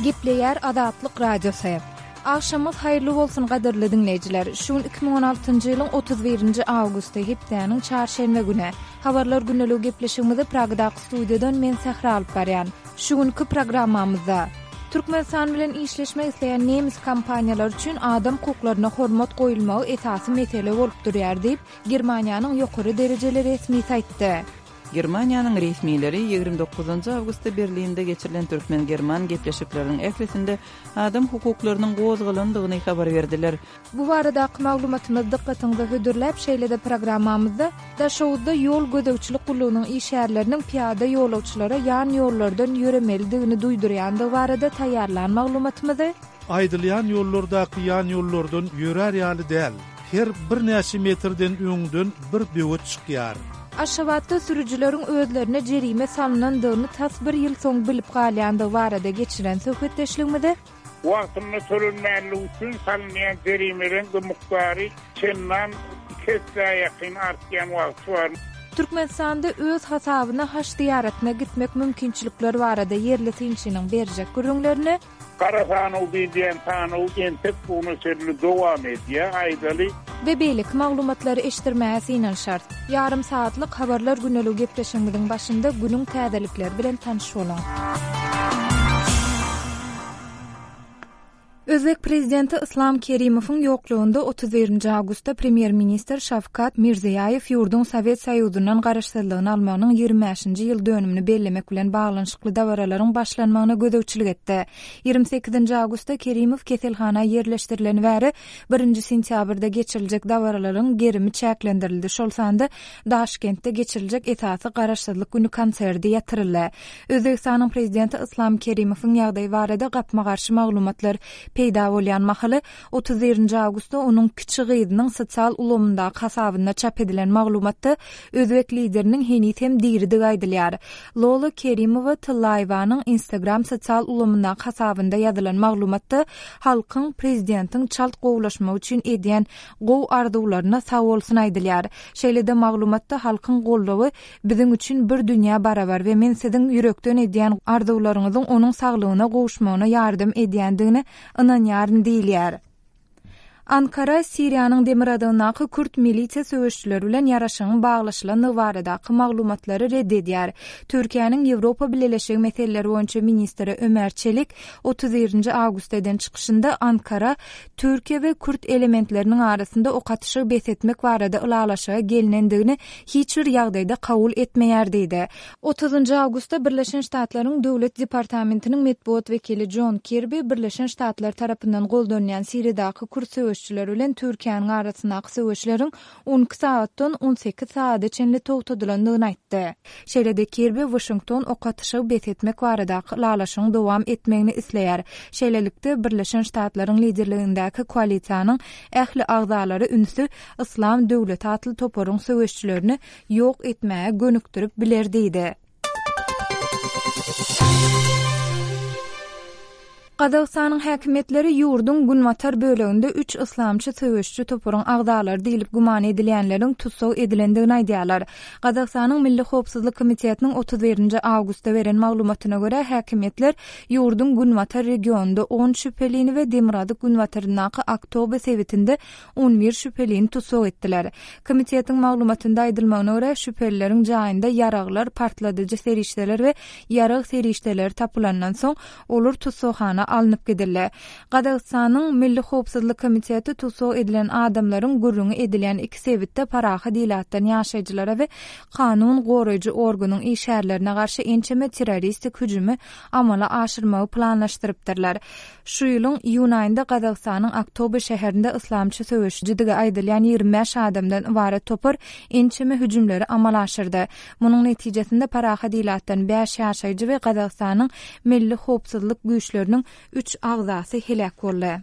Gepleýär Azatlyk Radiosy. Agşamyňyz haýyrly bolsun gadyrly diňleýjiler. Şu gün 2016-njy ýylyň 31-nji awgusty, hepdäniň çarşenbe güni. Habarlar gündeligi gepleşigimizi Pragadaky studiýadan men Sähra alyp barýan. Şu günki programmamyzda. Türkmenistan bilen işleşmek isleýän nemes kompaniýalary üçin adam hukuklaryna hormat goýulmagy esasy mesele bolup durýar diýip, Germaniýanyň ýokary derejeli resmisi aýtdy. Germaniýanyň resmileri 29 awgustda Berlinde geçirilen türkmen-german gepleşikleriniň ählisinde adam hukuklarynyň gozgalandygyny habar berdiler. Bu baradaky maglumatymyzy dykgatyňyza hödürläp, şeýle-de programmamyzda Daşoguzda ýol gözegçilik gullugynyň işgärleriniň pyýada ýolagçylara ýan ýollardan ýöremelidigini duýdurýandygy barada taýýarlan maglumatymyzy, Aýdylýan ýollardaky ýan ýollardan ýörär ýaly däl. Her birnäçe metrden öňden bir böwet çykýar. Aşgabatda sürüjileriň özlerine jerime salnandygyny tas bir ýyl soň bilip galýandygy barada geçiren söhbetdeşligimizi, Wagtynda tölenmänligi üçin salynýan jerimeleň-de mukdary çendan iki essä ýakyn artýan wagty bar. Türkmenistanda öz hasabyna haj zyýaratyna gitmek mümkinçilikleri barada ýerli synçynyň berjek gürrüňlerini, Gara sanaw diýilýän sanaw entek bu güne çenli dowam edýär, aýdaly. We beýleki maglumatlary eşitdirmäge synanyşarys. Ýarym sagatlyk Habarlar güneligi gepleşigimiziň başynda günüň täzelikleri bilen tanyş boluň. Özbek prezidenti Yslam Kerimowyň ýoklugynda 31-nji awgustda premýer-ministr Şawkat Mirziýaýew ýurduň Sowet Soýuzyndan garaşsyzlygyny almagynyň 25-nji ýyl dönümini bellemek bilen baglanyşykly dabaralaryň başlanmagyna gözegçilik etdi. 28-nji awgustda Kerimow keselhana ýerleşdirileni bäri birinji sentýabrda geçiriljek dabaralaryň gerimi çäklendirildi, şol sanda Daşkentde geçiriljek esasy Garaşsyzlyk güni konserdi ýatyryldy. Özbegistanyň prezidenti Yslam Kerimowyň ýagdaýy barada gapma-garşy maglumatlar peýda bolýan mahaly, 31-nji awgustda onuň kiçi gyzynyň sosial ulgamyndaky hasabynda çap edilen maglumatda özbek lideriniň heniz hem diridigi aýdylýar. Lola Kerimowa Tyllaýewanyň Instagram sosial ulgamyndaky hasabynda ýazylan maglumatda halkyň prezidentiň çalt gowulaşmagy üçin edýän gowy arzuwlaryna sagbolsun aýdylýar. Şeýle-de maglumatda halkyň goldawy biziň üçin bir dünýä barabar we men siziň ýürekden edýän arzuwlaryňyzyň onuň saglygyna gowuşmagyna ýardam edýändigine ynanýaryn diýilýär. Ankara Siriýanyň demirgazygyndaky kürt milisiýa söweşijileri bilen ýaraşygyň baglaşylandygy baradaky maglumatlary red edýär. Türkiýäniň Ýewropa Bileleşigi meseleleri boýunça ministri Ömer Çelik 31-nji awgustda eden çykyşynda Ankara Türkiýe we kürt elementleriniň arasynda ok atyşygy bes etmek barada ylalaşyga gelnendigini hiç bir ýagdaýda kabul etmeýär diýdi. Otuzynjy awgustda Birleşen Ştatlaryň Döwlet departamentiniň metbugat wekili Jon Kirbi Birleşen Ştatlar tarapyndan goldanýan Siriýadaky kürt söweşijileri bilen Türkiýäniň arasyndaky söweşleriň 12 sagatdan 18 sagada çenli togtadylandygyny aýtdy. Şeýle-de Kirbi Waşington ok atyşygy bes etmek baradaky ylalaşygyň dowam etmegini isleýär. Şeýlelikde, Birleşen Ştatlaryň liderligindäki koalisiýanyň ähli agzalary ünsi Yslam döwleti atly toparyň söweşijilerini ýok etmäge gönükdirip biler diýdi. Gazagystanyň häkimiýetleri ýurduň günbatar böleginde üç yslamçy söweşiji toparyň agzalary diýlip güman edilýänleriň tussag edilendigini aýdýarlar. Gazagystanyň Milli howpsuzlyk komitetiniň 31-nji awgustda beren maglumatyna görä, häkimiýetler ýurduň günbatar regionynda on şübhelini we demirgazyk-günbataryndaky Aktobe sebitinde 11 şübhelini tussag etdiler. Komitetiň maglumatynda aýdylmagyna görä, şübhelileriň jaýynda ýaraglar, partladyjy serişdeler we ýarag serişdeleri tapylandan soň, olar tussaghana alnyp gidildi. Gazagystanyň Milli howpsuzlyk komiteti tussag edilen adamlaryň gürrüňi edilýän iki sebitde parahat ilatdan ýaşaýjylara we kanun goraýjy organyň işgärlerine garşy ençeme terroristik hüjümi amala aşyrmagy planlaşdyrypdyrlar. Şu ýylyň iýun aýynda Gazagystanyň Aktobe şäherinde yslamçy söweşijidigi aýdylýan 25 adamdan ybarat topar ençeme hüjümleri amala aşyrdy. Munuň netijesinde parahat ilatdan bäş ýaşaýjy we Gazagystanyň Milli howpsuzlyk güýçleriniň üç agzasy heläk boldy.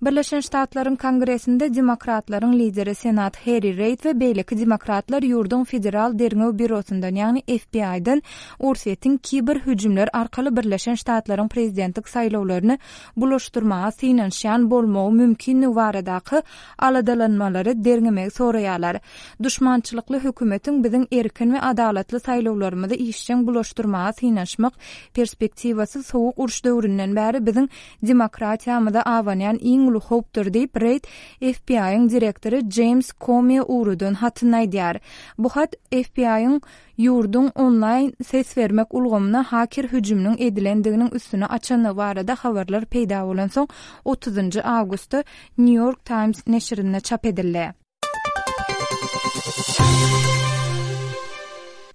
Birleşen Ştatlaryň Kongresinde demokratlaryň lideri senat Harry Reid we beýleki demokratlar ýurduň Federal derňew býurosyndan, ýagny FBI-den Orsýetiň kiber hüjümler arkaly Birleşen Ştatlaryň prezidentlik saýlawlaryny bulaşdyrmaga synanyşýan bolmagy mümkinligi baradaky aladalanmalary derňemegi soraýarlar. Duşmançylykly hökümetiň biziň erkin we adalatly saýlawlarymyzy işjeň bulaşdyrmaga synanyşmak perspektiwasy sowuk uruş döwründen bäri biziň demokratiýamyza abanýan iň uly howpdur diýip, Reid FBI-iň direktory Jeýms Komiýa ugradan hatynda aýdýar. Bu hat FBI-iň ýurduň onlaýn ses bermek ulgamyna haker hüjüminiň edilendiginiň üstüni açandygy barada habarlar peýda bolansoň, otuzynjy awgustda New York Times neşirinde çap edildi.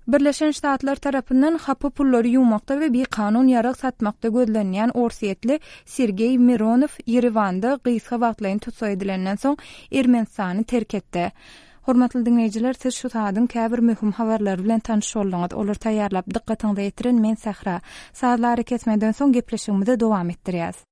Birleşen Ştatlar tarapyndan hapa pullary ýuwmakda we bikanun ýarag satmakda gözlenýän orsýetli Sergeý Mironow Ýerewanda gysga wagtlaýyn tussag edilenden soň Ermenistany terk etdi. Hormatly diňleýjiler, siz şu saadyň käbir möhüm habarlary bilen tanyş bolduňyz. Olary taýýarlap dykgatyňyza ýetiren men Sähra. Sazly arakesmeden soň gepleşigimizi dowam etdirýäs.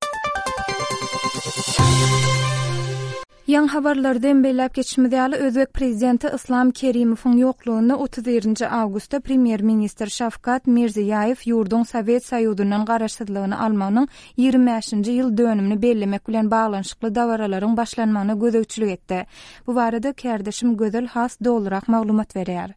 Ýaňy habarlarda hem belläp geçişimiz ýaly, özbek prezidenti Yslam Kerimowyň ýoklugynda 31-nji awgustda premýer-ministr Şawkat Mirziýaýew ýurduň Sowet Soýuzyndan garaşsyzlygyny almagynyň 25-nji ýyl dönümini bellemek bilen baglanyşykly dabaralaryň başlanmagyna gözegçilik etdi. Bu barada kärdeşim Gözel has dolurak maglumat berýär.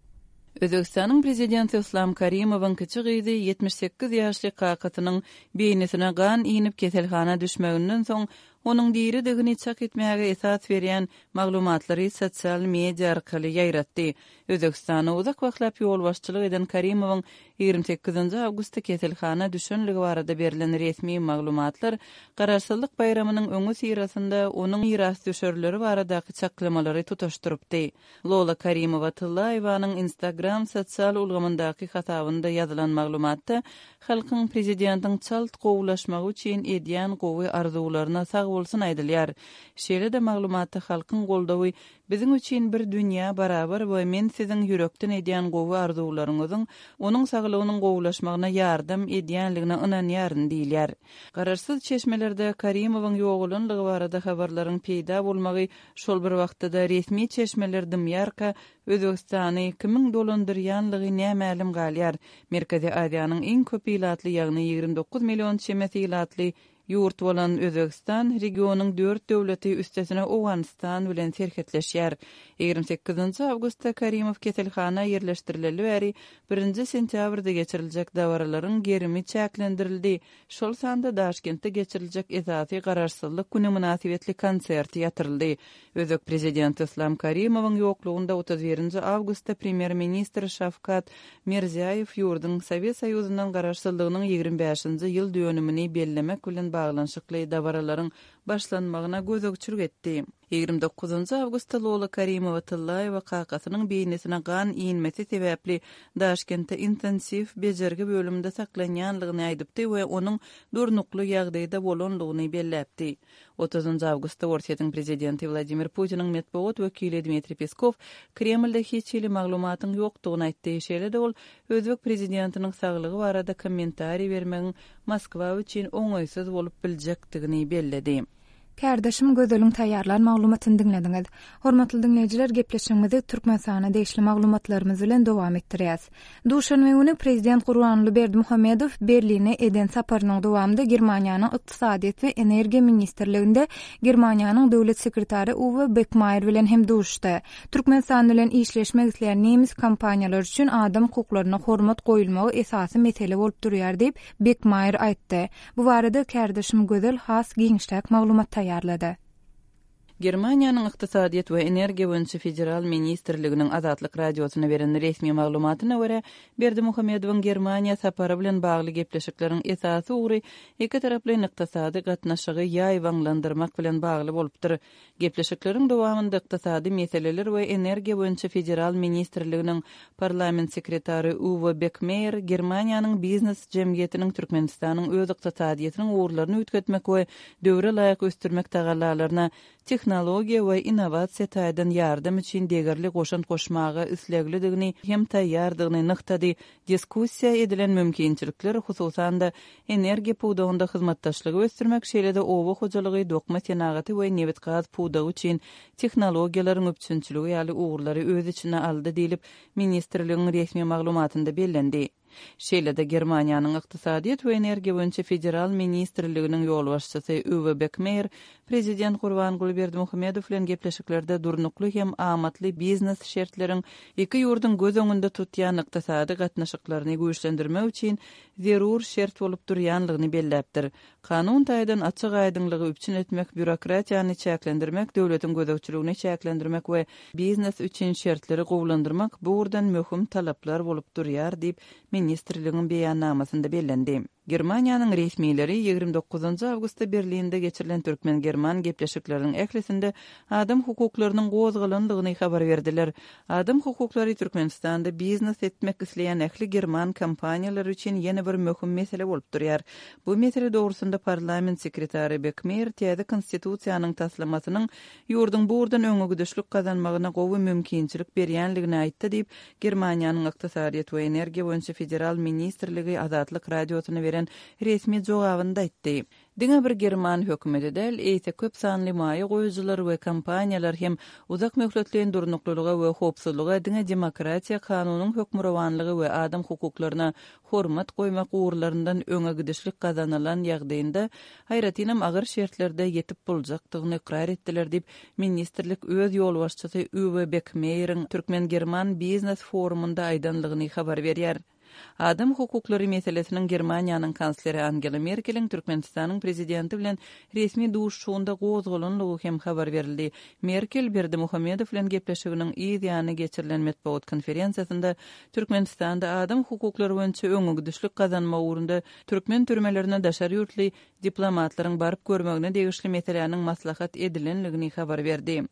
Özbegistanyň prezidenti Yslam Karimowyň kiçi gyzy 78 ýaşly kakasynyň beýnisine gan inip keselhana düşmeginden soň Onuň diridigini çak etmäge esas berýän maglumatlary sosial media arkaly ýaýratdy. Özbegistana uzak wagtlap ýolbaşçylyk eden Karimowyň 28 awgustda keselhana düşenligi barada berlen resmi maglumatlar Garaşsyzlyk baýramynyň öňüsyrasynda onuň mirasdüşerleri baradaky çaklamalary tutaşdyrypdy. Lola Karimowa-Tyllaýewanyň Instagram sosial ulgamyndaky hasabynda ýazylan maglumatda halkyň prezidentiň çalt gowulaşmagy üçin edýän gowy arzuwlaryna sagbolsun aýdylýar. Şeýle-de maglumatda halkyň goldawy biziň üçin bir dünýä barabar we men siziň ýürekden edýän gowy arzuwlaryňyzyň onuň saglygynyň gowulaşmagyna ýardam edýänligine ynanýaryn diýilýär. Garaşsyz çeşmelerde Karimowyň ýogalanlygy barada habarlaryň peýda bolmagy Şol bir wagtda-da resmi çeşmeler dymýarka, Özbegistany kimiň dolandyrýanlygy nämälim galýar. Merkezi Aziýanyň iň köp ilatly, ýagny 29 million çemesi ilatly ýurt bolan Özbegistan regionyň dört döwleti, üstesine Owganystan bilen serhetleşýär. 28 awgustda Karimow keselhana ýerleşdirileli bäri birinji sentýabrda geçiriljek dabaralaryň gerimi çäklendirildi. Şol sanda Daşkentde geçiriljek esasy Garaşsyzlyk güni mynasybetli konsert ýatyryldy. Özbek prezidenti Yslam Karimowyň ýoklugynda 31 nji awgustda premýer-ministr Şawkat Mirziýaýew ýurduň Sowet Soýuzyndan garaşsyzlygynyň 25-nji ýyl dönümini bellemek bilen baglanyşykly dabaralaryň başlanmagyna gözegçilik etdi. 29 awgustda Lola Karimowa-Tyllaýewa kakasynyň beýnisine gan inmesi sebäpli Daşkentde intensiw bejergi bölüminde saklanýanlygyny aýdypdy we onuň durnukly ýagdaýda bolanlygyny belläpdi. Otuzynjy awgustda Orsýetiň prezidenti Wladimir Putiniň metbugat wekili Dmitriý Peskow Kremlde hiç hili maglumatyň ýokdugyny aýtdy. Şeýle-de ol özbek prezidentiniň saglygy barada kommentariý bermegiň Moskwa üçin oňaýsyz bolup biljekdigini belledi. Kärdeşim Gözeliň taýýarlan maglumatyny diňlediňiz. Hormatly diňleýjiler, gepleşigimizi Türkmenistana degişli maglumatlarymyz bilen dowam etdirýäs. Duşenbe güni Prezident Gurbanguly Berdimuhamedow Berline eden saparynyň dowamynda Germaniýanyň Ykdysadyýet we energiýa ministrliginde Germaniýanyň Döwlet sekretary Uwe Bekmaýer bilen hem duşuşdy. Türkmenistan bilen işleşmek isleýän nemes kompaniýalary üçin adam hukuklaryna hormat goýulmagy esasy mesele bolup durýar diýip, Bekmaýer aýtdy. Bu barada kärdeşim Gözel has giňişräk maglumat taýýarlady. Germaniýanyň Ykdysadyýet we energiýa boýunça federal ministrliginiň Azatlyk Radiosyna beren resmi maglumatyna görä, Berdimuhamedowyň Germaniýa sapary bilen bagly gepleşikleriň esasy ugry ikitaraplaýyn ykdysady gatnaşygy ýaýbaňlandyrmak bilen bagly bolupdyr. Gepleşikleriň dowamynda Ykdysady meseleler we energiýa boýunça federal ministrliginiň parlament sekretary Uwe Bekmeýer Germaniýanyň biznes jemgyýetiniň Türkmenistanyň öz ykdysadyýetiniň ugurlaryny üýtgetmek we döwre laýyk ösdürmek tagallalaryna tehnologiýa we innowasiýa taýdan ýardam üçin degerli goşant goşmaga isleglidigini hem taýýardygyny nygtady. Diskussiýa edilen mümkinçilikler, hususan-da, energiýa pudagynda hyzmatdaşlygy ösdürmek, şeýle-de oba hojalygy, dokma senagaty we nebit-gaz pudagy üçin tehnologiýalaryň üpjünçiligi ýaly ugurlary öz içine aldy diýlip, ministrligiň resmi maglumatynda bellendi. Şeýle-de, Germaniýanyň Ykdysadyýet we energiýa boýunça federal ministrliginiň ýolbaşçysy Uwe Bekmeýer Prezident Gurbanguly Berdimuhamedow bilen gepleşiklerde durnukly hem amatly biznes şertleriň iki ýurduň göz öňünde tutýan ykdysady gatnaşyklaryny güýçlendirmek üçin zerur şert bolup durýanlygyny belläpdir. Kanun taýdan açyk-aýdyňlygy üpjün etmek, býurokratiýany çäklendirmek, döwletiň gözegçiligini çäklendirmek we biznes üçin şertleri gowulandyrmak bu ugurdan möhüm talaplar bolup durýar diýip, ministrligiň beýannamasynda bellendi. Germaniýanyň resmileri 29 awgustda Berlinde geçirilen türkmen-german gepleşikleriniň ählisinde adam hukuklarynyň gozgalandygyny habar berdiler. Adam hukuklary Türkmenistanda biznes etmek isleýän ähli german kompaniýalary üçin ýene bir möhüm mesele bolup durýar. Bu mesele dogrusynda parlament sekretary Bekmeýer täze Konstitusiýanyň taslamasynyň ýurduň bu ugurdan öňegidişlik gazanmagyna gowy mümkinçilik berýänligini aýtdy diýip, Germaniýanyň Ykdysadyýet we energiýa boýunça federal ministrligi Azatlyk Radiosyna beren resmi jogabynda aýtdy. Diňe bir german hökümeti däl, eýse köp sanly maýa goýujylar we kompaniýalar hem uzak möhletleýin durnuklylyga we howpsuzlyga diňe demokratiýa, kanunyň hökmürowanlygy we adam hukuklaryna hormat goýmak ugurlaryndan öňe gidişlik gazanylan ýagdaýynda, aýratynam agyr şertlerde ýetip boljakdygyny ykrar etdiler diýip, ministrlik öz ýolbaşçysy Uwe Bekmeýeriň türkmen-german biznes forumynda aýdanlygyny habar berýär. Adam hukuklary meselesiniň Germaniýanyň kansleri Angela Merkeliň Türkmenistanyň prezidenti bilen resmi duşuşygynda gozgalanlygy hem habar berildi. Merkel Berdimuhamedow bilen gepleşiginiň yz ýany geçirilen metbugat konferensiýasynda Türkmenistanda adam hukuklary boýunça öňegidişlik gazanmak ugrunda türkmen türmelerine daşary ýurtly diplomatlaryň baryp görmegine degişli meseläniň maslahat edilendigini habar berdi.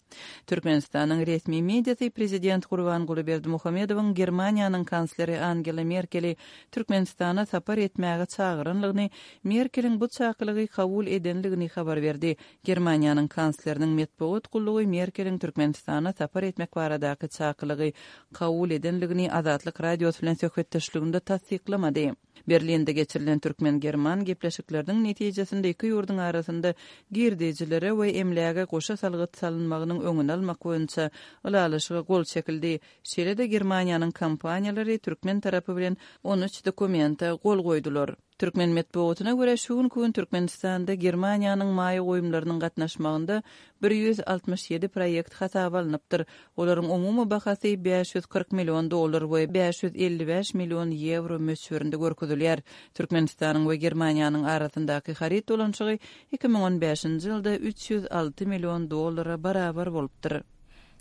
Türkmenistanyň resmi mediasy prezident Gurbanguly Berdimuhamedowyň Germaniýanyň kansleri Angela Merkeli Türkmenistana sapar etmäge çagyranlygyny, Merkeliň bu çakylygy kabul edenligini habar berdi. Germaniýanyň kansleriniň metbugat gullugy Merkeliň Türkmenistana sapar etmek baradaky çakylygy kabul edenligini Azatlyk Radiosy bilen söhbetdeşliginde tassyklamady. Berlinde geçirilen türkmen-german gepleşikleriniň netijesinde iki ýurduň arasynda girdejilere we emläge goşa salgyt salynmagynyň öňüni almak boýunça ylalaşyga gol çekildi. Şeýle-de Germaniýanyň kompaniýalary türkmen tarapy bilen 13 dokumente gol goýdular. Türkmen metbugatyna görä, şu günki gün Türkmenistanda Germaniýanyň maýa goýumlarynyň gatnaşmagynda 167 proýekt hasaba alnypdyr. Olaryň umumy bahasy 540 million dollar we 555 million ýewro möçberinde görkezilýär. Türkmenistanyň we Germaniýanyň arasyndaky haryt dolanyşygy 2015-nji ýylda 306 million dollara barabar bolupdyr.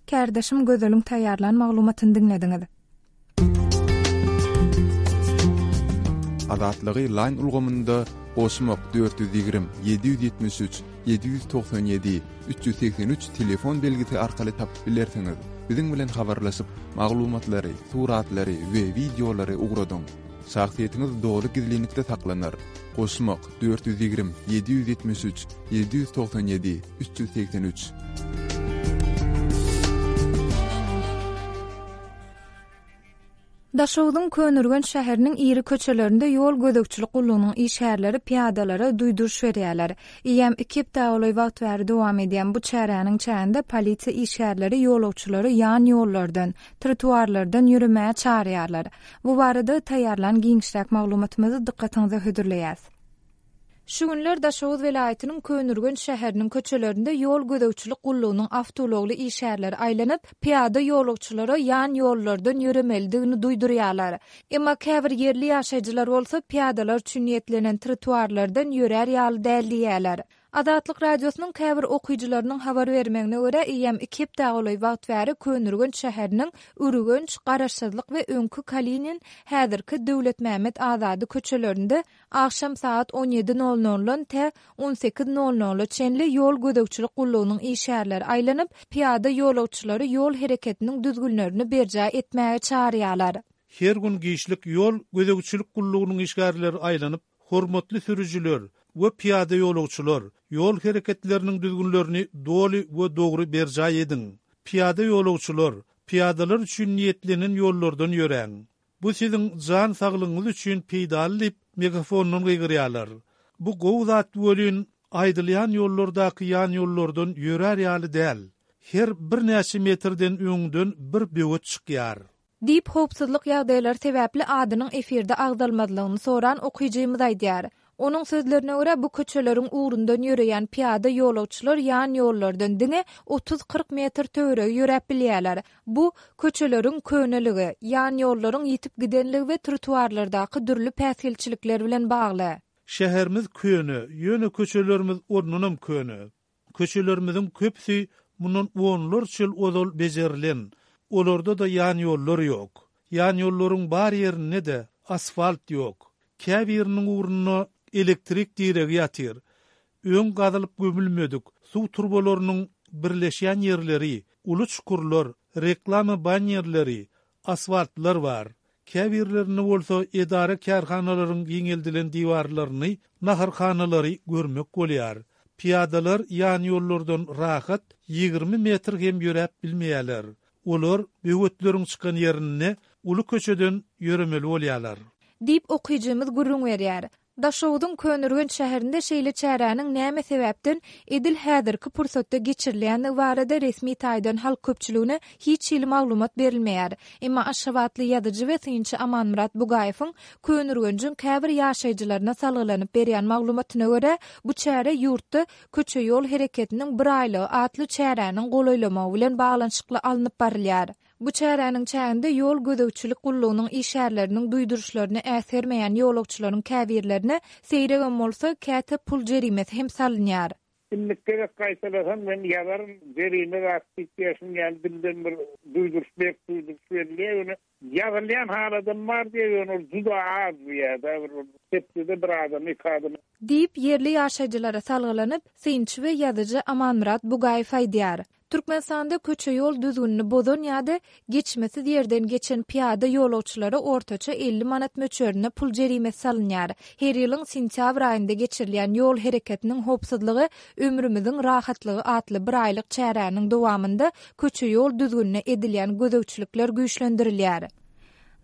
Kärdeşim Gözeliň taýýarlan maglumatyny diňlediňiz. Azatlygy Line ulgamynda goşmak 420 773 797 383 telefon belgisi arkaly tapyp bilersiňiz. Biziň bilen habarlaşyp, maglumatlary, suratlary we wideolary ugradyň. Şahsyýetiňiz doly gizlinlikde saklanar. Goşmak 420 773 797 383. Daşogzuň Köneürgenç şäheriniň iri köçelerinde ýol gözegçilik gullugynyň işgärleri pyýadalara duýduryş berýärler. Eýýäm iki hepdä golaý wagt bäri dowam edýän bu çäräniň çäginde polisiýa işgärleri ýolagçylary ýan ýollardan, trotuarlardan ýöremäge çagyrýarlar. Bu barada taýýarlan giňişräk maglumatymyzy dykgatyňyza hödürleýäs. Şu günler Daşoguz welaýatynyň Köneürgenç şäheriniň köçelerinde ýol gözegçilik gullugynyň awtoulagly işgärleri aýlanyp, pyýada ýolagçylara ýan ýollardan ýöremelidigini duýdurýarlar. Emma käbir ýerli ýaşaýjylar bolsa pyýadalar üçin niýetlenen trotuarlardan ýörär ýaly däl diýýärler. Azatlyk Radiosynyň käbir okyjylarynyň habar bermegine görä, eýýäm iki hepdä golaý wagt bäri Köneürgenç şäheriniň Ürgenç, Garaşsyzlyk we öňki Kalinin, häzirki Döwletmämmet Azady köçelerinde Agşam sagat on ýedi nol noldan tä on sekiz nol nola çenli ýol gözegçilik gullugynyň işgärleri aýlanyp, pyýada ýolagçylary ýol hereketiniň düzgünlerini berjaý etmäge çagyrýarlar. Her gün giçlik ýol gözegçilik gullugynyň işgärleri aýlanyp, Hormatly sürüjiler! we pyýada ýolagçylar, ýol hereketleriniň düzgünlerini doly we dogry berjaý ediň. Pyýada ýolagçylar, pyýadalar üçin niýetlenen ýollardan ýöräň. Bu siziň jan saglygyňyz üçin peýdaly diýip, megafondan gygyrýarlar. Bu gowy zat welin, aýdylýan ýollardaky ýan ýollardan ýörär ýaly däl. Her birnäçe metrden öňden bir böwet çykýar. Diýip, howpsuzlyk ýagdaýlary sebäpli adynyň efirde agzalmazlygyny soran okyjymyz aýdýar. Onuň sözlerine görä, bu köçeleriň ugrundan ýöreýän pyýada ýolagçylar ýan ýollardan diňe otuz-kyrk metr töweregi ýöräp bilýärler. Bu, köçeleriň köneligi, ýan ýollaryň ýitip gidenligi we trotuarlardaky dürli päsgelçilikler bilen bagly. Şäherimiz köne, ýöne köçelerimiz ondanam köne. Köçelerimiziň köpüsi mundan onlarça ýyl ozal bejerilen, olarda-da ýanýollar ýok. Ýanýollaryň bar ýerinde-de asfalt ýok. Käbiriniň ugrunda elektrik diregi ýatyr. Öň gazylyp gömülmedik suw turbalarynyň birleşýän ýerleri, uly çukurlar, reklama bannerleri, asfaltlar bar. Käbirlerinde bolsa edara-kärhanalaryň giňeldilen diwarlaryny, naharhanalary görmek bolýar. Pyýadalar ýanýollardan rahat 20 metr hem ýöräp bilmeýärler. Olar böwetleriň çykan ýerinde uly köçeden ýöremeli bolýarlar. Diýip, okyjymyz gürrüň berýär. Daşoguzyň Köneürgenç şäherinde şeýle çäräniň näme sebäpden edil häzirki pursatda geçirilýändigi barada resmi taýdan halk köpçüligine hiç hili maglumat berilmeýär. Emma aşgabatly ýazyjy we synçy Amanmyrat Bugaýewiň Köneürgenjiň käbir ýaşaýjylaryna salgylanyp berýän maglumatyna görä, bu çäre ýurtda Köçe-ýol hereketiniň bir aýlygy atly çäräniň golaýlamagy bilen baglanyşykly alnyp barylýar. Bu çäräniň çäginde ýol gözegçilik gullugynyň işgärleriniň duýduryşlaryny äsgermeýän ýolagçylaryň käbirlerine seýregem bolsa, käte pul jerimesi hem salynýar. Indiki gezek gaýtalasam men ýazaryn, jerime zat diýip ýa şuň ýaly dilden bir duýduryş berk duýduryş berilýär, ýöne ýazylýan haladam bar diýýär, ýöne ol juda az diýýär-de, bir hepdede bir adama, iki adama. Diýip, ýerli ýaşaýjylara salgylanyp, synçy we ýazyjy Amanmyrat Bugaýew aýdýar. Türkmenistanda köçe-ýol düzgünini bozan ýa-da geçmesiz ýerden geçen pyýada ýolagçylara ortaça 50 manat möçberinde pul jerimesi salynýar. Her ýylyň sentýabr aýynda geçirilýän Ýol hereketiniň howpsuzlygy, ömrümiziň rahatlygy atly biraýlyk çäräniň dowamynda köçe-ýol düzgünine edilýän gözegçilikler güýçlendirilýär.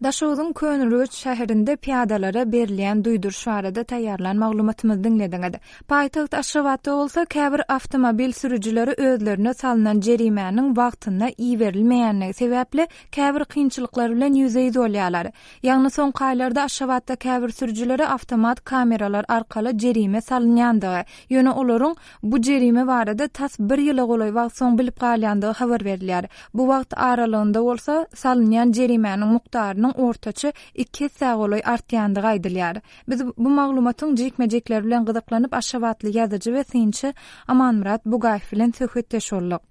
Daşoguzyň Köneürgenç şäherinde pyýadalara berilýän duýduryş barada taýýarlan maglumatymyzy diňlediňiz. Paýtagt Aşgabatda bolsa käbir awtomobil sürüjileri özlerine salnan jerimäniň wagtynda iberilmeýänligi sebäpli käbir kynçylyklar bilen ýüzbe-ýüz bolýarlar. Ýagny soňky aýlarda Aşgabatda käbir sürüjilere awtomat kameralar arkaly jerime salynýandygy, ýöne olaryň bu jerime barada tas bir ýyla golaý wagt soň bilip galýandygy habar berilýär. Bu wagt aralygynda bolsa, salynýan jerimäniň mukdarynyň ortaça iki essä golaý artýandygy aýdylýar. Biz bu maglumatyň jikme-jikleri bilen gyzyklanyp, aşgabatly ýazyjy we synçy Amanmyrat Bugaýew bilen söhbetdeş bolduk.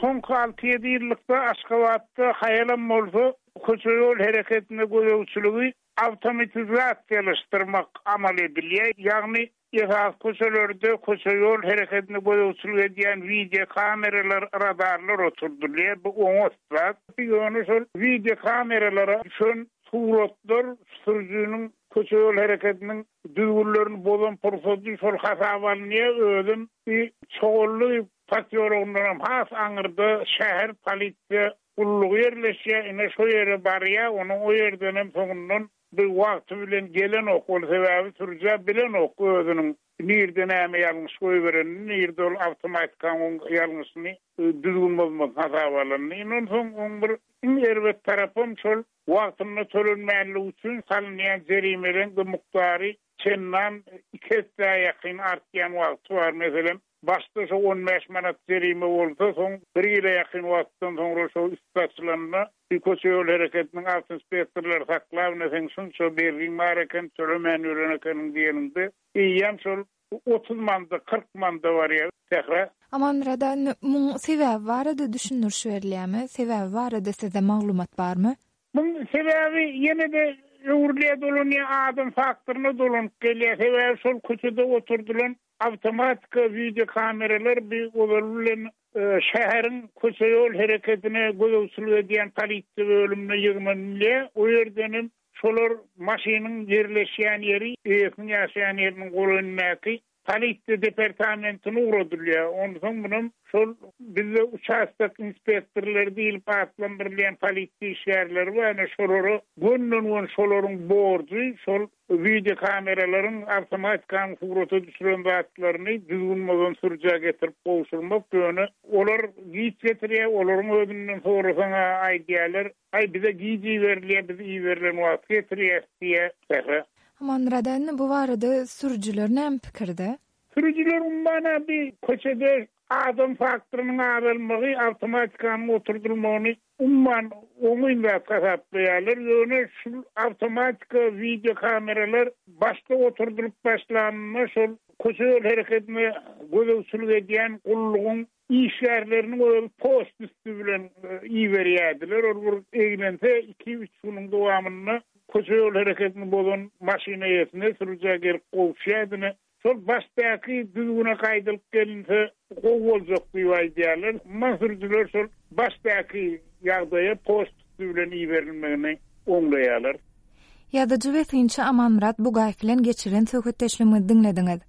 Soňky alty-ýedi ýyllykda Aşgabatda haýalam bolsa köçe-ýol hereketine gözegçiligi awtomatizasiýalaşdyrmak amal edilýär, ýagny esasy köçelerde köçe-ýol hereketine gözegçilik edýän wideokameralar, radarlar oturdylýar. Bu oňat zat. Ýöne şol wideokameralara düşen suratlar sürüjiniň köçe-ýol hereketiniň düzgünlerini bozan pursady şol hasaba alynýar, özem bir Çogully posýologyndanam has aňyrda şäher polisiýa Gullugy ýerleşýär, ine şo ýere barýar, onuň o ýerdenem soňundan bir wagty bilen gelenok, ol sebäbi sürüjä bilenok özüniň nirde näme ýalňyş goýberenini, nirde ol awtomatikaň oň ýalňyşyny, düzgün bozmasyny hasaba alanyny. Ine onsoň oň bir iň erbet tarapam şol wagtynda tölenmänligi üçin salynýan jerimeleň-de mukdary çendan iki essä ýakyn artýan wagty bar. Meselem, başda şo 15 manat jerime bolsa, soň bir ýyla ýakyn wagtdan soňra şo üsti açylanda, bir köçe-ýol hereketiniň awtoinspektorlary saklap, ine seň şunça bergiň bar eken, tölemän ýören ekeniň diýeninde, eýýäm şol 30 manada, 40 manada barýar. Sähra. Amanmyrat aga, indi muň sebäbi barada düşündiriş berilýärmi? Sebäbi barada sizde maglumat barmy? Muň sebäbi ýene-de öwrülýär dolanýar adam faktoryna dolanyp gelýär. Sebäbi şol köçede oturdylan awtomatika wideo kameralar bi ozaly bilen şäheriň köçe-ýol hereketine gözegçilik edýän polisiýa bölümine ýygnanylýar. O ýerdenem. Şolar maşynyň ýerleşýän ýeri, eýesiniň ýaşaýan ýeriniň golaýyndaky polisiýa departamentine ugradylýar. Onsoň munam şol bizde uçastok inspektorlary diýlip atlandyrylýan polisiýa işgärleri bar, ine şolara gönden-göni şolaryň borjy şol wideokameralaryň, awtomatikanyň surata düşüren zatlaryny düzgün bozan sürüjä getirip gowşurmak. Ýöne olar giç getirýär, olaryň özünden sorasaň-a aýdýarlar, Aý, bize giç iberilýär, biz iberilen wagty getirýäs diýýär. Sähra. Amanmyrat indi bu barada sürüjiler näme pikirde? Sürüjiler umuman-a bi köçede adam faktorynyň azalmagy, awtomatikanyň oturdylmagyny umuman oňyn zat hasaplaýarlar. Ýöne şul awtomatika, wideokameralar başda oturdylyp başlanynda şol köçe-ýol herekedine gözegçilik edýän gullugyň Işgärleriniň özi poçta üsti bilen iberýärdiler. Ol bir eglense, iki-üç günüň dowamynda köçe-ýol hereketini bozan maşyn eýesine, sürüjä gelip gowuşýardy. Ine, şol başdaky düzgüne gaýdylyp gelinse gowy boljak diýip aýdýarlar. Umuman, sürüjiler şol başdaky ýagdaýa poçta üsti bilen iberilmegini oňlaýarlar. Ýazyjy we synçy Amanmyrat Bugaýew bilen geçiren söhbetdeşligimizi diňlediňiz.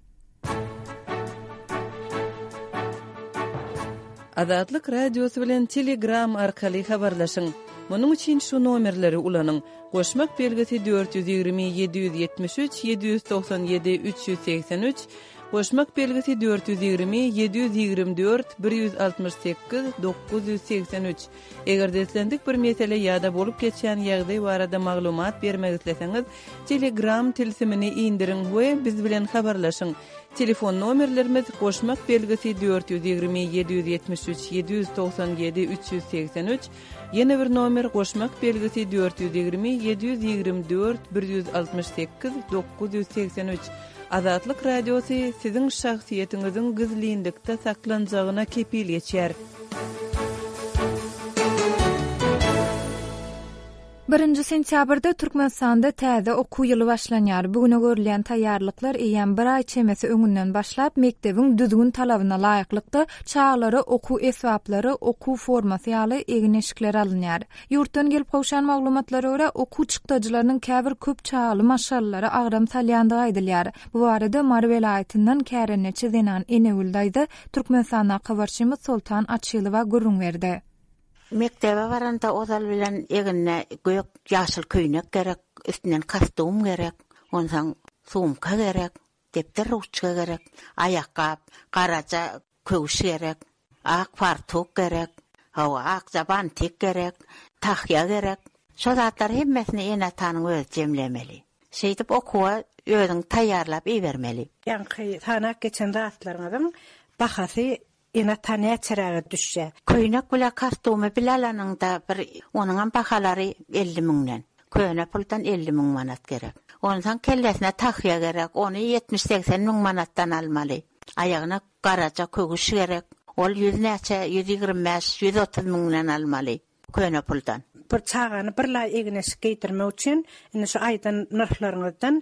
Azatlyk Radiosy bilen Telegram arkaly habarlaşyň! Munuň üçin şu nomerleri ulanyň, goşmak belgisi 420 773 797 383, goşmak belgisi 420 724 168 983. Eger-de islendik bir mesele ýa-da bolup geçýän ýagdaý barada maglumat bermek isleseňiz, Telegram tilsimini indiriň we biz bilen habarlaşyň. Telefon nomerlerimiz, goşmak belgisi 420 773 797 383, ýene bir nomer goşmak belgisi 420 724 168 983. Azatlyk Radiosy siziň şahsyýetiňiziň gizlinlikde saklanjagyna kepil geçýär. Birinji sentýabrda Türkmenistanda täze okuw ýyly başlanýar. Bu güne görülýän taýýarlyklar eýýäm bir aý çemesi öňünden başlap, mekdebiň düzgün-talabyna laýyklykda, çagalara okuw esbaplary, okuw formasy ýaly egin-eşikler alynýar. Ýurtdan gelip gowşan maglumatlara görä, okuw çykdajylarynyň käbir köp çagaly maşgalalara agram salýandygy aýdylýar. Bu barada Mary welaýatyndan kärendeçi zenan Enegül daýza Türkmenistandaky habarçymyz Soltan Açylowa gürrüň berdi. Mekdebe baranda ozal bilen egnine gök, ýaşyl köýnek gerek, üstünden kostum gerek, onsoň sumka gerek, depder, ruçka gerek, aýakgap, garaja köwüş gerek, ak fartuk gerek, hawa, akja bantik gerek, tahýa gerek. Şo zatlary hemmesini ene-atanyň özi jemlemeli. Şeýdip okuwa özüň taýýarlap ibermeli. Ýaňky sanap geçen zatlaryňyzyň bahasy Ene-ata näçeräge düşýär? Köýnek bile kostumy bile alanyňda bir onuňam bahalary 50 müňden. Köne puldan 50 müň manat gerek. Onsoň kellesine tahýa gerek, ony ýetmiş-segsen müň manatdan almaly. Aýagyna garaja köwüş gerek, ol ýüz näçe, 125, 130 müňden almaly. Köne puldan. Bir çagany bir laý egin-eşik geýdirmek üçin indi şu aýdan nyrhlaryňyzdan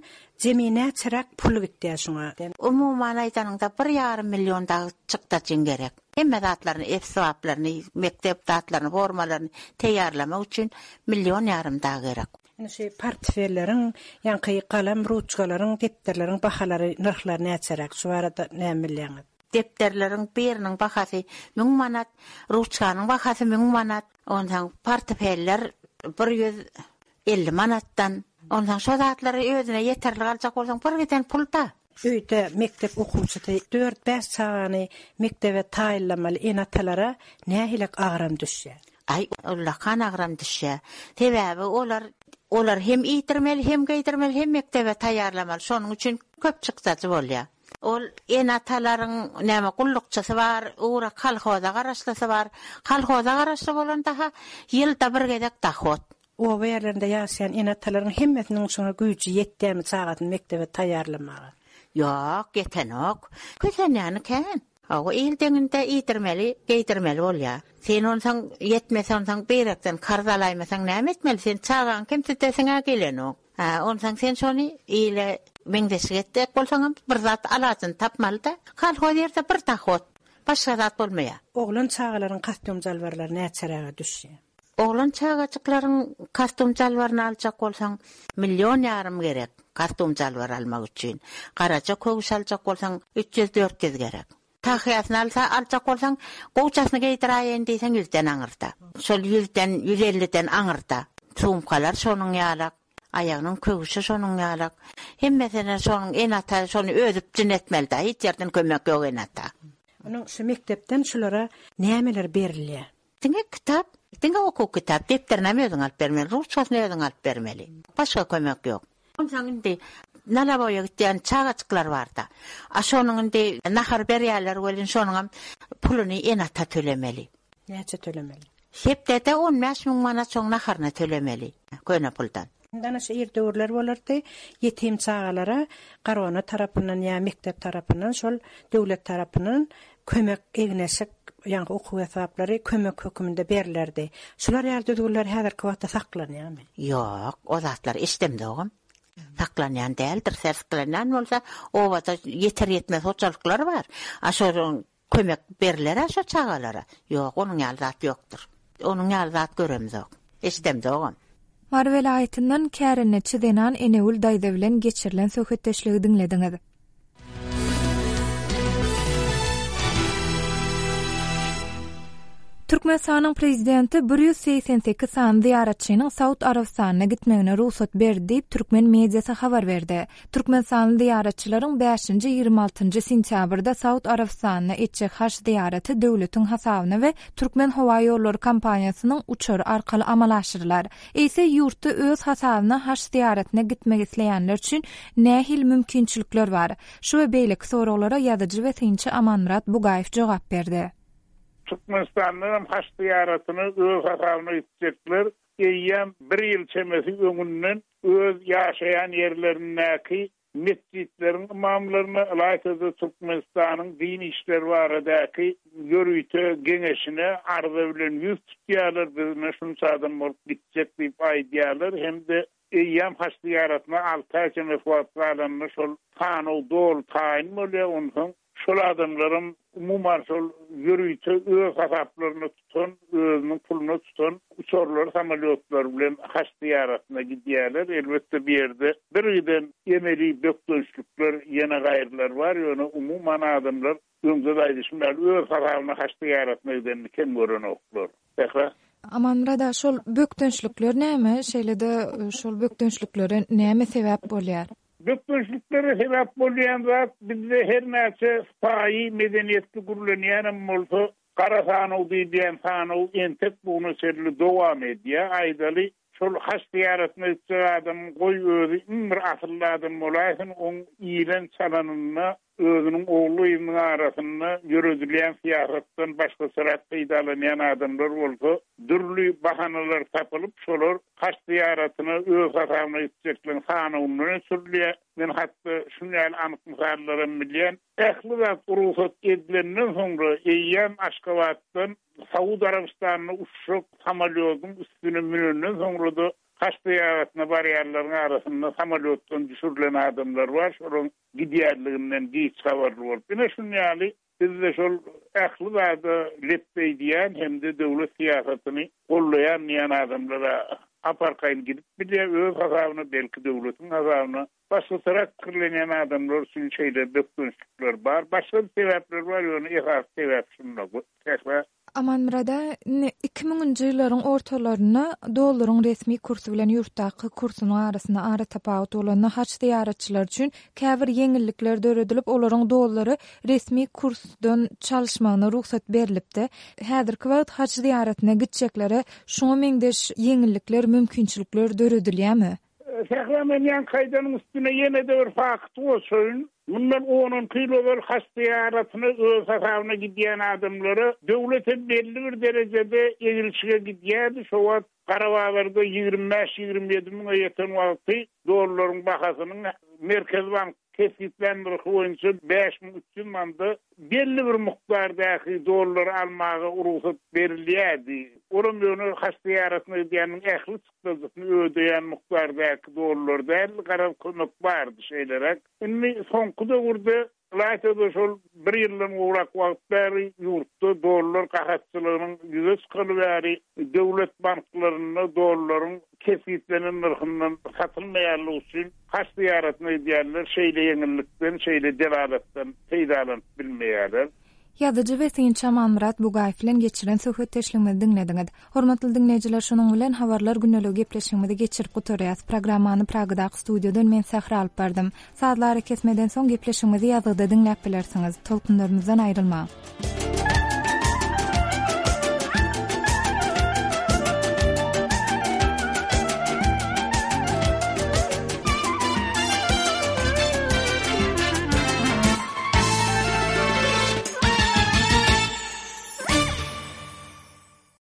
jemi näçeräk pul gitýär şuňa? Umuman aýdanyňda bir ýarym million dagy çykdajyň gerek. Hemme zatlaryny, esbaplaryny, mekdep zatlaryny, formalaryny teýýarlamak üçin million ýarym dagy gerek. Indi şu portfelleriň, ýaňky galam, ruçkalaryň, depderleriň bahalary, nyrhlary näçeräk? Şu barada näme bilýäňiz? Depderleriň biriniň bahasy müň manat, ruçkanyň bahasy müň manat, onsoň portfeller 150 manatdan. Onsoň şo zatlary özüne ýeterlik aljak bolsaň bir giden pul-da. Öýde mekdep okuwçysy dört-bäş çagany mekdebe taýynlamaly ene-atalara nähilek agram düşýär? Aý, ullakan agram düşýär. Sebäbi olar olar hem iýdirmeli, hem geýdirmeli, hem mekdebe taýýarlamaly. Şonuň üçin köp çykdajy bolýar. Ol ene-atalaryň näme gullukçysy bar, ugra kolhoza garaşlysy bar. Kolhoza garaşly bolanda-ha ýylda bir gezek dohod. Oba ýerlerinde ýaşaýan ene-atalaryň hemmesiniň şuňa güýji ýetýärmi çagasyny mekdebe taýýarlamaga? Ýok, ýetenok. Kösenýäni kän. Hawa, il deňinde iýdirmeli, geýdirmeli bolýar. Sen onsoň ýetmese onsoň beýrekden karz alaýmasaň näme etmeli? Sen çagaňy kemsidesiň-ä gelenok. Hä, onsoň sen şony ile meňzeşlik etjek bolsaňam bir zat alajyny tapmaly-da. Kolhoz ýerde bir dohod, başga zat bolmaýar. Oglan çagalaryň kostýum-jalbarlary näçeräge düşýär? Oglan çagajyklaryň kostum-jalbaryny aljak bolsaň, million ýarym gerek, kostum-jalbar almak üçin. Garaja köwüş aljak bolsaň, 300-400 gerek. Tahýasyny alsa, aljak bolsaň, gowjasyny geýdiräýeýin diýseň, ýüzden aňyrda. Şol ýüzden, ýüz elliden aňyrda. Sumkalar şonuň ýalak, aýagynyň köwşi şonuň ýalak. Hemmesine şonuň ene-ata şony özi üpjün etmeli-dä, hiç ýerden kömek ýok ene-ata. Onuň şu mekdepden şulara nämeler berilýär? Diňe kitap, diňe okuw kitap, depderinem özüň alyp bermeli, ruçkasyny özüň alyp bermeli. Başga kömek ýok. Onsoň indi nalaboýa gitýän çagajyklar bar-da. A şonuň indi nahar berýärler welin şonuňam puluny ene-ata tölemeli. Näçe tölemeli? Hepdede 15 müň manat şoň naharyna tölemeli, köne puldan. Indi ana şu ir döwürler bolardy, ýetim çagalara Garona tarapyndan ýa mekdep tarapyndan şol döwlet tarapyndan kömek egin-eşik, ýaňky okuw esbaplary kömek höküminde berlerdi. Şular ýaly düzgünler häzirki wagtda saklanýarmy? Ýok, o zatlar eşidemzogam. Saklanýan däldir. Saklanýan bolsa, obada ýeter-ýetmez hojalyklar bar. A şolaryň Kömek berler-ä şo çagalara. Ýok, onuň ýaly zat ýokdur. Onuň ýaly zat göremzok. Eşidemzogam. Mary welaýatyndan kärendeçi zenan Enegül daýza bilen geçirilen söhbetdeşligi diňlediňiz. Türkmenistanyň Prezidenti 188 sany zyýaratçynyň Saud Arabystanyna gitmegine rugsat berdi diýip, türkmen mediasy habar berdi. Türkmenistanly zyýaratçylaryň bäşinji, 26 njy sentýabrda Saud Arabystanyna etjek haj zyýaraty döwletiň hasabyna we Türkmenhowaýollary kompaniýasynyň uçary arkaly amala aşyrylar. Eýse, ýurtda öz hasabyna haj zyýaratyna gitmek isleýänler üçin nähili mümkinçilikler bar? Şu we beýleki soraglara ýazyjy we synçy Amanmyrat Bugaýew jogap berdi. Türkmenistandan hem haj zyýaratyna öz hasabyna gitjekler eýýäm bir ýyl çemesi öňünden öz ýaşaýan ýerlerindäki metjitleriň ymamlaryna, ylaýta-da Türkmenistanyň din işleri baradaky ýörite geňeşine arza bilen ýüz tutýarlar, biz ine şunça adam bolup gitjek diýip aýdýarlar hem-de eýýäm haj zyýaratyna alty aý çemesi wagt galanda şol sanaw doly taýyn bolýar, onsoň Şol adamlaram umuman şol ýörite öz hasaplaryna tutan, özüniň puluna tutan uçarlary, samolýotlary bilen haç zyýaratyna gidýärler. Elbetde bu ýerde birgiden emeli bökdençlikler, ýene gaýrylar bar, ýöne umuman adamlar öňde-de aýdyşym ýaly öz hasabyna haç zyýaratyna gidenini kem görenoklar. Sähra. Amanmyrat aga, şol bökdençlikler näme? Şeýle-de şol bökdençliklere näme sebäp bolýar? Bökdençliklere sebäp bolýan zat bizde her näçe sypaýy, medeniýetli gürlenýänem bolsa, gara sanaw diýilýän sanaw entek bu güne çenli dowam edýär. Aýdaly, şol haç zyýaratyna gitjek adamyň goý özi iň bir asylly adam bolaýsyn, oň iýlen-çalanynda Özüniň ogly-gyzynyň arasynda ýöredilýän syýasatdan başgaçarak peýdalanýan adamlar bolsa, dürli bahanalar tapylyp, şolar haç zyýaratyna öz hasabyna gitjekleň sanawyndan öçürilýär. Men hatda şuny ýaly anyk mysallaram bilýän. Ähli zat rugsat edilenden soňra eýýäm Aşgabatdan Saud Arabystanyna uçjak samolýodyň üstüne münenden soňra-da haç zyýaratyna barýanlaryň arasynda samolýotdan düşürilen adamlar bar. Şolaryň gidýänliginden giç habarly bolup, ine şuny ýaly bizde şol ähli zada lepbeý diýýän hem-de döwlet syýasatyny gollaýan diýýän adamlar-a ap-arkaýyn gidip bilýär öz hasabyna, belki döwletiň hasabyna. Başgaçarak pikirlenýän adamlar üçin şeýle bökdençlikler bar. Başga-da sebäpler bar, ýöne esasy sebäp şunda. Sähra Amanmyrada, indi iki müňünji ýyllaryň ortalarynda dollaryň resmi kursy bilen ýurtdaky kursunyň arasynda aratapawut bolanda haj zyýaratçylary üçin käbir ýeňillikler döredilip, olaryň dollary resmi kursdan çalyşmagyna rugsat berlipdi. Häzirki wagt haj zyýaratyna gitjeklere şuňa meňzeş ýeňillikler, mümkinçilikler döredilýärmi? Sähra men ýaňky aýdanyň üstüne ýene-de bir fakty goşaýyn. Mundan on-onki ýyl ozal haç zyýaratyna öz hasabyna gidýän adamlara döwlet hem belli bir derejede egilşige gidýärdi. Şo wagt gara bazarda 25-27 müňe ýeten wagty dollaryň bahasynyň Merkezi bank kesgitlän nyrhy boýunça 5300 manada belli bir mukdardaky dollary almaga rugsat berilýärdi. Olam ýöne haç zyýaratyna gidýäniň ähli çykdajysyny ödeýän mukdardaky dollar däldi, garaz kömek bardy şeýleräk. Indi soňky döwürde. Ylaýta-da şol bir ýyldan gowrak wagt bäri ýurtda dollar gahatçylygynyň ýüze çykaly bäri döwlet banklarynda dollaryň kesgitlenen nyrhyndan satylmaýanlygy üçin haj zyýaratyna gidýänler şeýle ýeňillikden, şeýle delalatdan peýdalanyp bilmeýärler. Ýazyjy we synçy Amanmyrat Bugaýew bilen geçiren söhbetdeşligimizi diňlediňiz. Hormatly diňleýjiler şunuň bilen Habarlar gündeligi gepleşigimizi geçirip gutarýas. Programmany Pragadaky studiýadan men Sähra alyp bardym. Sazly arakesmeden soň gepleşigimizi ýazgyda diňläp bilersiňiz. Tolkunlarymyzdan aýrylmaň.